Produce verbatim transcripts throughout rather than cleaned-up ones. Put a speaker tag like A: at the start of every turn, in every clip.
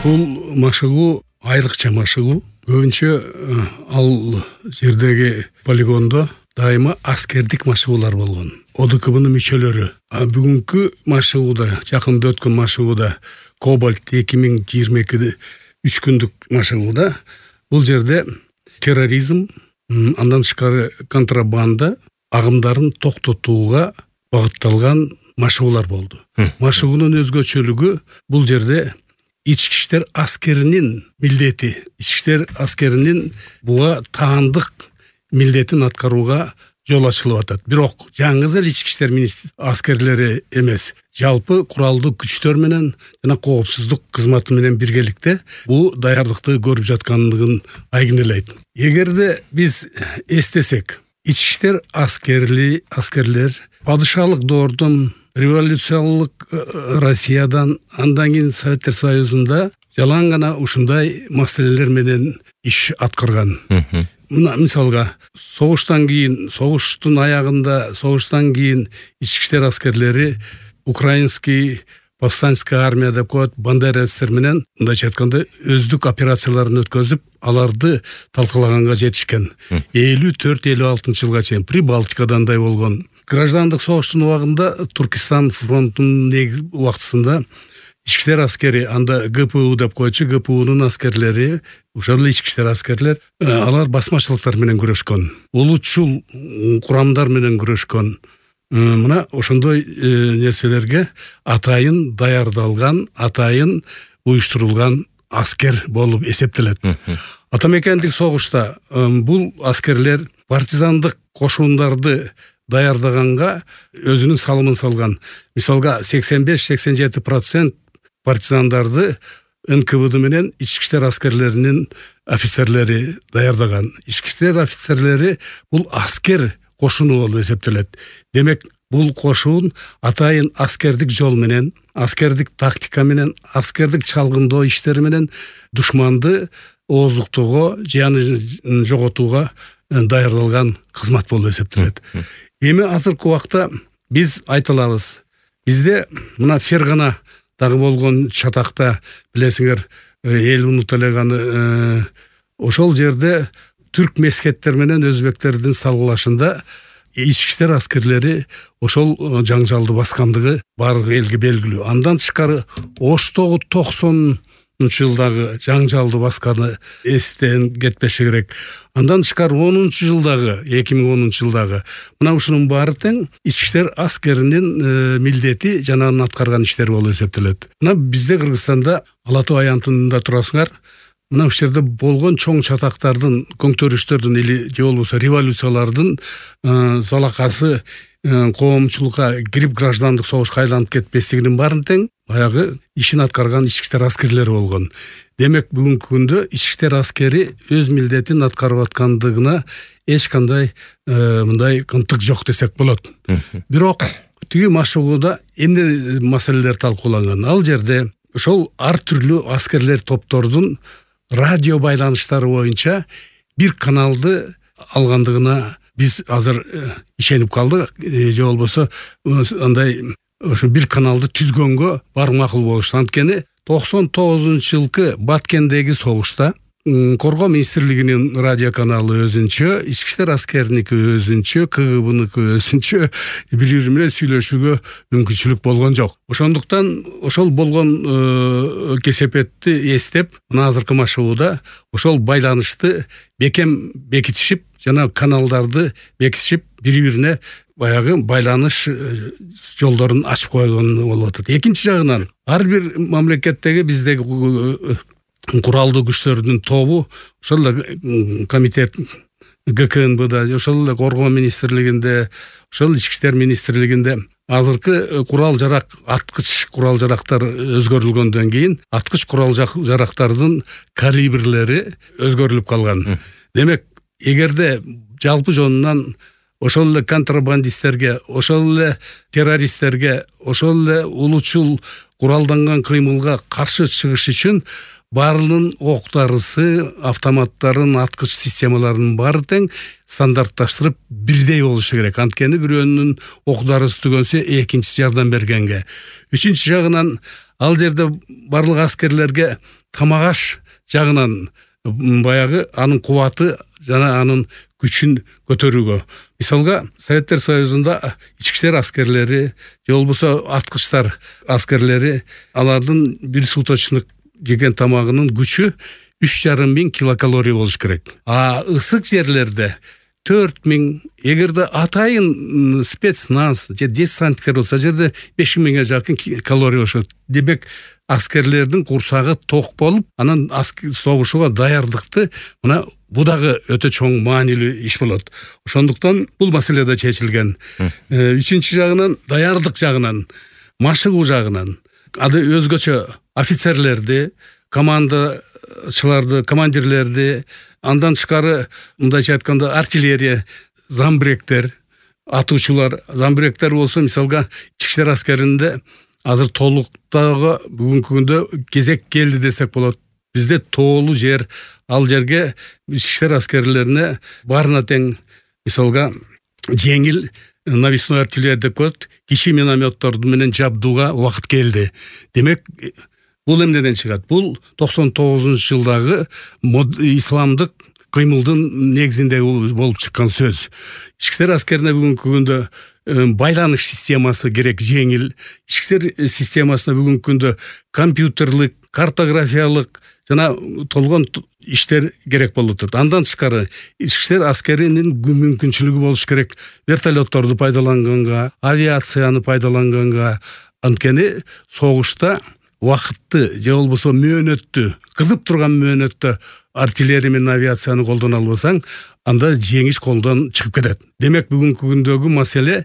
A: Бул машыгуу айрыкча машыгуу. Көбүнчө ал жердеги полигондо дайыма аскердик машыгуулар болгон. ОДКБнын мүчөлөрү. А бүгүнкү машыгууда, жакында өткөн машыгууда Кобальт эки миң жыйырма эки үч күндүк машыгууда бул жерде терроризм, андан тышкары контрабанда агымдарын токтотууга багытталган машыгуулар болду. Машыгуунун өзгөчөлүгү бул жерде ички иштер аскеринин милдети, ички иштер аскеринин буга таандык милдетин аткарууга жол ачылып атат. Бирок жаңы эл ички иштер аскерлери эмес, жалпы куралдуу күчтөр менен жана коопсуздук кызматы менен биргеликте бул даярдыкты көрүп жаткандыгын айгинелейт. Эгерде биз эстесек, ички иштер аскерли аскерлер падышалык доордон, революциялык Россиядан, андан кийин Советтер Союзунда жалаң гана ушундай маселелер менен иш аткарган. Мына мисалга, согуштан кийин, согуштун аягында, согуштан кийин ички иштер аскерлери украинский повстанческая армия деп коет, бандеровецтер менен мындайча айтканда өздүк операцияларын өткөзүп, аларды талкалаганга жетишкен. элүү төрт элүү алтынчы жылга чейин Прибалтикадан да болгон. Граждандык согуштун убагында Туркестан фронтунун убактысында ички иштер аскери, анда ГПУ деп койчу, ГПУнун аскерлери, ошол эле ички иштер аскерлер, алар басмачылыктар менен күрөшкөн, улутчул курамдар менен күрөшкөн. Мына ошондой нерселерге атайын даярдалган, атайын уюштурулган аскер болуп эсептелет. Атамекендик согушта бул аскерлер партизандык кошундарды даярдаганга өзүнүн салымын салган. Мисалга сексен беш сексен жети процент партизандарды эн ка вэ дэ менен ички иштер аскерлеринин офицерлери даярдаган. Ички иштер офицерлери бул аскер кошуну болуп эсептелет. Демек, бул кошуун атайын аскердик жол менен, аскердик тактика менен, аскердик чалгындоо иштери менен душманды ооздуктоого, жыянын жоготууга даярдалган кызмат болуп эсептелет. Эми азыркы убакта биз айта алабыз. Бизде мына Фергана дагы болгон чатакта, билесиңер, эл унута элеганы, ошол жерде түрк мескеттер менен өзбектердин салгылашында ички иштер аскерлери ошол жаңжалды баскандыгы баардык элге белгилүү. Андан тышкары Оштогу токсонунчу жылдагы жаңжалды басканы эстен кетпеше керек. Андан тышкары онунчу жылдагы, эки миң онунчу жылдагы мына ушунун баары тең ички иштер аскеринин милдети жана анын аткарган иштери болуп эсептелет. Мына бизде Кыргызстанда Ала Тоо аянтында турасыңар, мына ушул жерде болгон чоң чатактардын, көңтөрүштөрдүн или же болбосо революциялардын залакасы коомчулукка кирип граждандык согушка айланып кетпестигинин баарын тең баягы ишин аткарган ички иштер аскерлери болгон. Демек, бүгүнкү күндө ички иштер аскери өз милдетин аткарып аткандыгына эч кандай мындай кынтык жок десек болот. Бирок тиги машыгууда эмне маселелер талкууланган? Ал жерде ошол ар түрлүү аскерлер топтордун радио байланыштары боюнча бир каналды алгандыгына биз азыр ишенип калдык. Же болбосо андай ошо бир каналды түзгөнгө бар макул болушту. Анткени токсон тогузунчу жылкы Баткендеги согушта Коргоо министрлигинин радио каналы өзүнчө, ички иштер аскериники өзүнчө, ка гэ бныкы өзүнчө бири-бири менен сүйлөшүүгө мүмкүнчүлүк болгон жок. Ошондуктан ошол болгон кесепетти эстеп, мына азыркы машыгууда ошол байланышты бекем бекитишип, жана каналдарды бекитишип, бири-бирине баягы байланыш жолдорун ачып койгон болуп атат. Экинчи жагынан, ар бир мамлекеттеги биздеги куралдуу күчтөрдүн тобу, ошол эле комитет гэ ка эн бэ-да, ошол эле Коргоо министрлигинде, ошол ички иштер министрлигинде азыркы курал жарак, аткыч курал жарактар өзгөрүлгөндөн кийин аткыч курал жарактардын калибрлери өзгөрүлүп калган. Демек, эгерде жалпы жонунан ошол эле контрабандисттерге, ошол эле террористтерге, ошол эле улутчул куралданган кыймылга каршы чыгыш үчүн баарынын октарысы, автоматтарын, аткыч системаларынын баары тең стандартташтырып бирдей болушу керек. Анткени бирөөнүн окдарысы түгөнсө экинчиси жардам бергенге. Үчүнчү жагынан ал жерде барлык аскерлерге тамак аш жагынан баягы анын кубаты жана анын күчүн көтөрүүгө. Мисалга Советтер Союзунда ички иштер аскерлери же болбосо аткычтар аскерлери алардын бир суточник жеген тамагынын күчү үч жарым миң килокалория болуш керек. А ысык жерлерде төрт миң, эгерде атайын спецназ же десанттар болсо жерде беш миңге жакын калория болушат. Демек аскерлердин курсагы ток болуп, анан согушууга даярдыкты мына бу дагы өтө чоң маанилүү иш болот. Ошондуктан бул маселе да чечилген. Үчүнчү жагынан даярдык жагынан, машыгуу жагынан ады өзгөчө офицерлерди, командачыларды, командирлерди, андан тышкары мындайча айтканда артиллерия, замбректер, атуучулар, замбректер болсо мисалга ички иштер аскеринде азыр толуктагы бүгүнкү күндө кезек келди десек болот. Бизде тоолуу жер, ал жерге ички иштер аскерлерине баарына тең мисалга жеңил навесной артиллерия деп коет, кичи минометторду менен жабдууга убакыт келди. Демек бул эмнеден чыгат? Бул токсон тогузунчу жылдагы исламдык кыймылдын негизинде болуп чыккан сөз. Ички иштер аскерине бүгүнкү күндө байланыш системасы керек, жеңил. Ички иштер системасына бүгүнкү күндө компьютерлик, картографиялык жана толгон иштер керек болуп атат. Андан тышкары ички иштер аскеринин мүмкүнчүлүгү болуш керек вертолетторду пайдаланганга, авиацияны пайдаланганга. Анткени согушта убакытты же болбосо мөөнөттү, кызып турган мөөнөттө артиллерия менен авиацияны колдоно албасаң, анда жеңиш колдон чыгып кетет. Демек бүгүнкү күндөгү маселе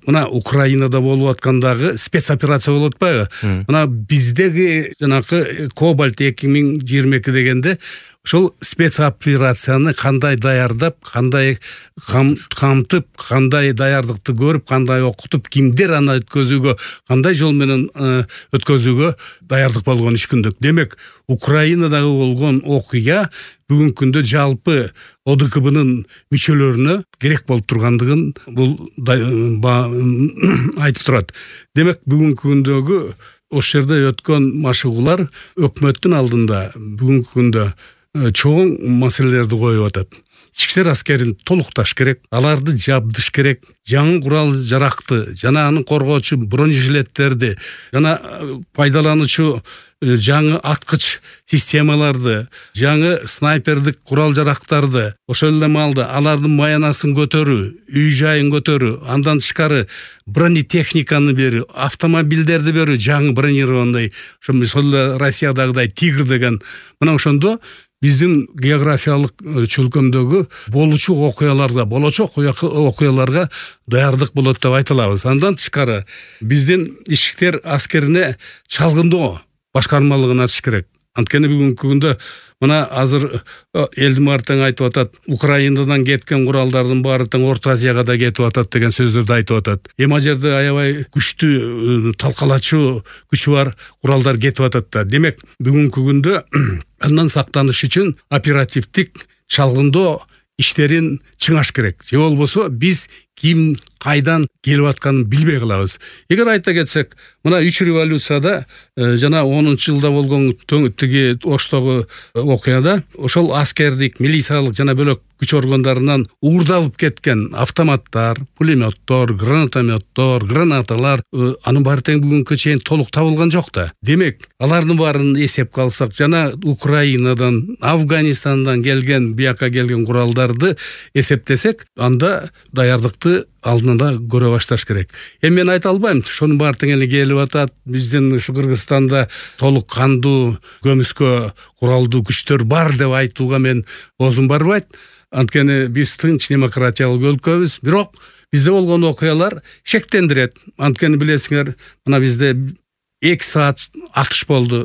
A: мына Украинада болуп аткандагы спецоперация болуп атпайбы? Мына биздеги жанакы Кобальт эки миң жыйырма эки дегенде ошол спецоперацияны кандай даярдап, кандай камтып, кандай даярдыкты көрүп, кандай окутуп, кимдер аны өткөзүүгө, кандай жол менен өткөзүүгө даярдык болгон үч күндүк. Демек Украинадагы болгон окуя бүгүнкү күндө жалпы О Д К Б'нын мүчөлөрүнө керек болуп тургандыгын бул айтып турат. Демек бүгүнкү күндөгү ошол жерде өткөн машыгуулар өкмөттүн алдында бүгүнкү күндө чоң маселелерди коюп атат. Ички иштер аскерин толукташ керек, аларды жабдыш керек, жаңы курал жаракты жана аны коргоочу бронежилеттерди жана пайдалануучу жаңы аткыч системаларды, жаңы снайпердик курал жарактарды, ошол эле маалда алардын маянасын көтөрүү, үй жайын көтөрүү, андан тышкары бронетехниканы берүү, автомобилдерди берүү, жаңы бронированный, ошо мисалы Россиядагыдай Тигр деген. Мына ошондо биздин географиялык чөлкөмдөгү болучу окуяларга, болочок окуяларга даярдык болот деп айта алабыз. Андан тышкары биздин ички иштер аскерине чалгындоо башкармалыгын ачыш керек. Анткени бүгүнкү күндө мына азыр элдин баары тең айтып атат, Украинадан кеткен куралдардын баары тең Орто Азияга да кетип атат деген сөздөрдү айтып атат. Эми жерде аябай күчтүү талкалачу күчү бар куралдар кетип атат да. Демек бүгүнкү күндө андан сактаныш үчүн оперативдик чалгындоо иштерин чыңаш керек. Же болбосо биз ким кайдан келип атканын билбей калабыз. Эгер айта кетсек, мына үч революцияда жана онунчу жылда болгон тиги Оштогу окуяда ошол аскердик, милициялык жана бөлөк күч органдарынан уурдалып кеткен автоматтар, пулеметтор, гранатометтор, гранаталар анын баары тең бүгүнкү чейин толук табылган жок да. Демек, алардын баарын эсепке алсак, жана Украинадан, Афганистандан келген, бияка келген куралдарды эсептесек, анда даярдыкты алдында көрө башташ керек. Эми мен айта албайм, ошонун баары тең эле келип атат. Биздин ушу Кыргызстанда толук кандуу, көмүскө куралдуу күчтөр бар деп айтууга мен оозум барбайт. Анткени биз тынч демократиялык өлкөбүз, бирок бизде болгон окуялар шектендирет. Анткени билесиңер, мына бизде эки саат атыш болду.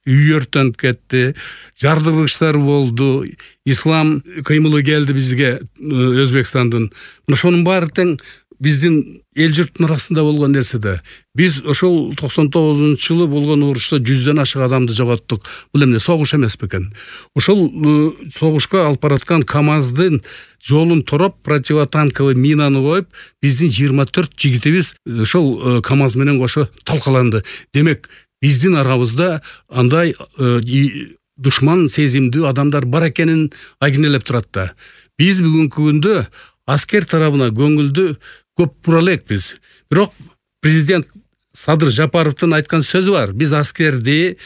A: Үй өртөнүп кетти, жардыргычтар болду, ислам кыймылы келди бизге Өзбекстандын. Ошонун баары тең биздин эл журттун арасында болгон нерсе да. Биз ошол токсон тогузунчу жылы болгон урушта жүздөн ашык адамды жоготтук. Бул эмне, согуш эмес бекен? Ошол согушка алып бараткан КАМАЗдын жолун тороп, противотанковый минаны коюп, биздин жыйырма төрт жигитибиз ошол КАМАЗ менен кошо талкаланды. Демек, биздин арабызда андай душман сезимдүү адамдар бар экенин айгинелеп турат да. Биз бүгүнкү күндө аскер тарабына көңүлдү көп бура элекпиз. Бирок президент Садыр Жапаровдун айткан сөзү бар. Биз аскерди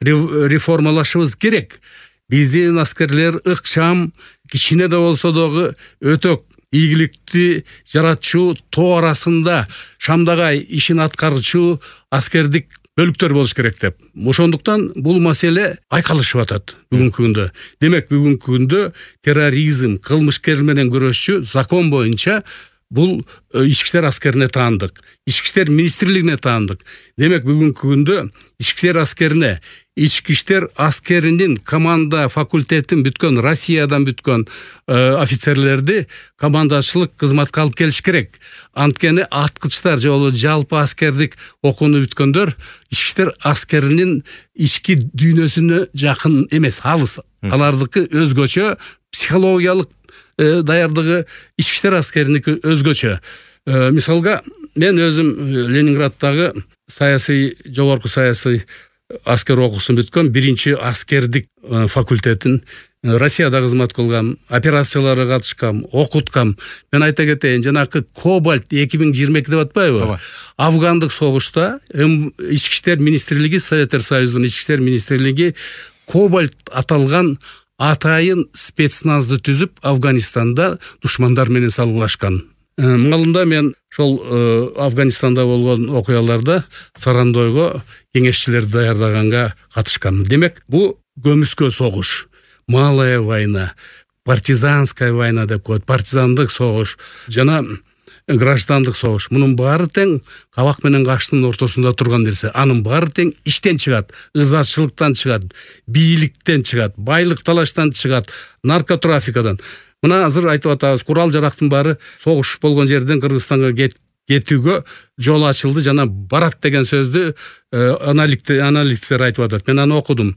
A: реформалашыбыз керек. Биздин аскерлер ыкчам, кичине да болсо дагы өтө ийгиликтүү, жаратчу, тоо арасында шамдагай ишин аткарчу аскердик бөлүктөр болуш керек деп. Ошондуктан бул маселе айкалышып атат бүгүнкү күндө. Демек бүгүнкү күндө терроризм, кылмышкер менен күрөшчү закон боюнча бул ички иштер аскерине таандык, ички иштер министрлигине таандык. Демек бүгүнкү күндө ички иштер аскерине, ички иштер аскеринин команда факультетин бүткөн, Россиядан бүткөн офицерлерди командачылык кызматка алып келиш керек. Анткени аткычтар же болбосо жалпы аскердик окууну бүткөндөр ички иштер аскеринин ички дүйнөсүнө жакын эмес, алыс. Алардыкы өзгөчө, психологиялык даярдыгы ички иштер аскериники өзгөчө. Мисалга, мен өзүм Ленинграддагы саясий, жогорку саясий аскер окуусун бүткөн, биринчи аскердик факультетин Россияда кызмат кылгам, операцияларга катышкам, окуткам. Мен айта кетейин, жанакы Кобальт эки миң жыйырма эки деп атпайбы? Афгандык согушта ички иштер министрлиги, Советтер Союзунун ички иштер министрлиги Кобальт аталган атайын спецназды түзүп, Афганистанда душмандар менен салгылашкан. Малында мен ошол Афганистанда болгон окуяларда Сарандойго кеңешчилерди даярдаганга катышкам. Демек, бул көмүскө согуш, малая война, партизанская война деп коет, партизандык согуш жана граждандык согуш. Мунун баары тең кабак менен каштын ортосунда турган нерсе. Анын баары тең иштен чыгат, ызачылыктан чыгат, бийликтен чыгат, байлык талаштан чыгат, наркотрафикадан. Мына азыр айтып атабыз, курал жарактын баары согуш болгон жерден Кыргызстанга кетүүгө жол ачылды жана барат деген сөздү аналитиктер айтып атат. Мен аны окудум.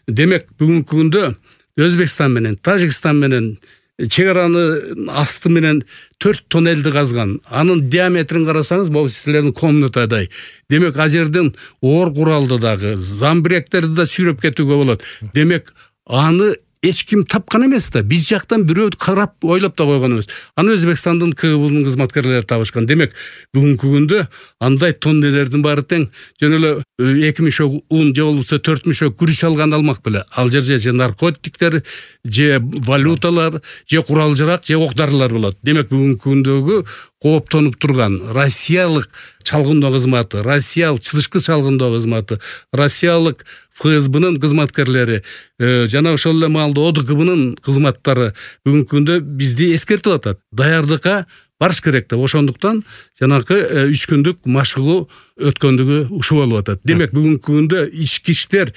A: Демек, бүгүнкү күндө Өзбекстан менен, Тажикстан менен чек араны асты менен төрт тоннелди казган. Анын диаметрин карасаңыз, бул силердин комнатадай. Демек, а жерден оор куралды дагы, замбиректерди да сүйрөп кетүүгө болот. Демек, аны эч ким тапкан эмес да. Биз жактан бирөө карап, ойлоп да койгон эмес. Аны Өзбекстандын КГБнын кызматкерлери табышкан. Демек, бүгүнкү күндө андай тоннелердин баары тең жөн эле эки мишок ун же болбосо төрт мишок күрүч алган алмак беле. Ал жерде же наркотиктер, же валюталар, же курал жарак, же ок-дарылар болот. Демек, бүгүнкү күндөгү кооптонуп турган россиялык чалгындоо кызматы, россиялык чылышкы чалгындоо кызматы, россиялык ФСБнын кызматкерлери жана ошол эле маалда ОДКБнын кызматтары бүгүнкү күндө бизди эскертип атат. Даярдыкка барыш керек деп. Ошондуктан жанакы үч күндүк машыгуу өткөндүгү ушул болуп атат. Демек, бүгүнкү күндө ички иштер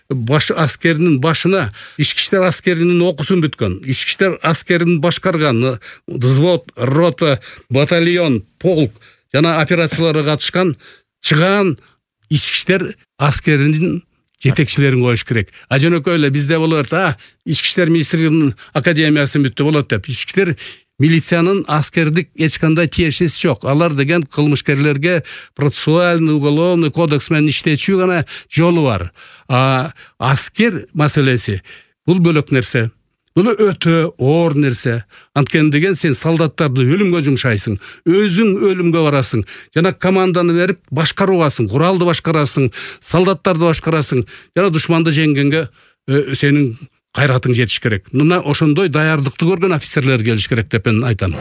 A: баш аскеринин башына ички иштер аскеринин окуусун бүткөн, ички иштер аскерин башкарган, взвод, рота, батальон, полк жана операцияларга катышкан чыгаан ички иштер аскеринин жетекчилерин коюш керек. А жөнөкөй эле бизде болот, а ички иштер министрлигинин академиясын бүттү болот деп. Ички иштер милициянын аскердик эч кандай тиешеси жок. Алар деген кылмышкерлерге процессуальный, уголовный кодекс менен иштечүү гана жолу бар. А аскер маселеси бул бөлөк нерсе. Бул өтө оор нерсе. Анткени деген сен солдаттарды өлүмгө жумшайсың, өзүң өлүмгө барасың, жана команданы берип башкаруугасың, куралды башкарасың, солдаттарды башкарасың, жана душманды жеңгенге сенин кайратың жетиш керек. Мына ошондой даярдыкты көргөн офицерлер келиш керек деп мен айтам.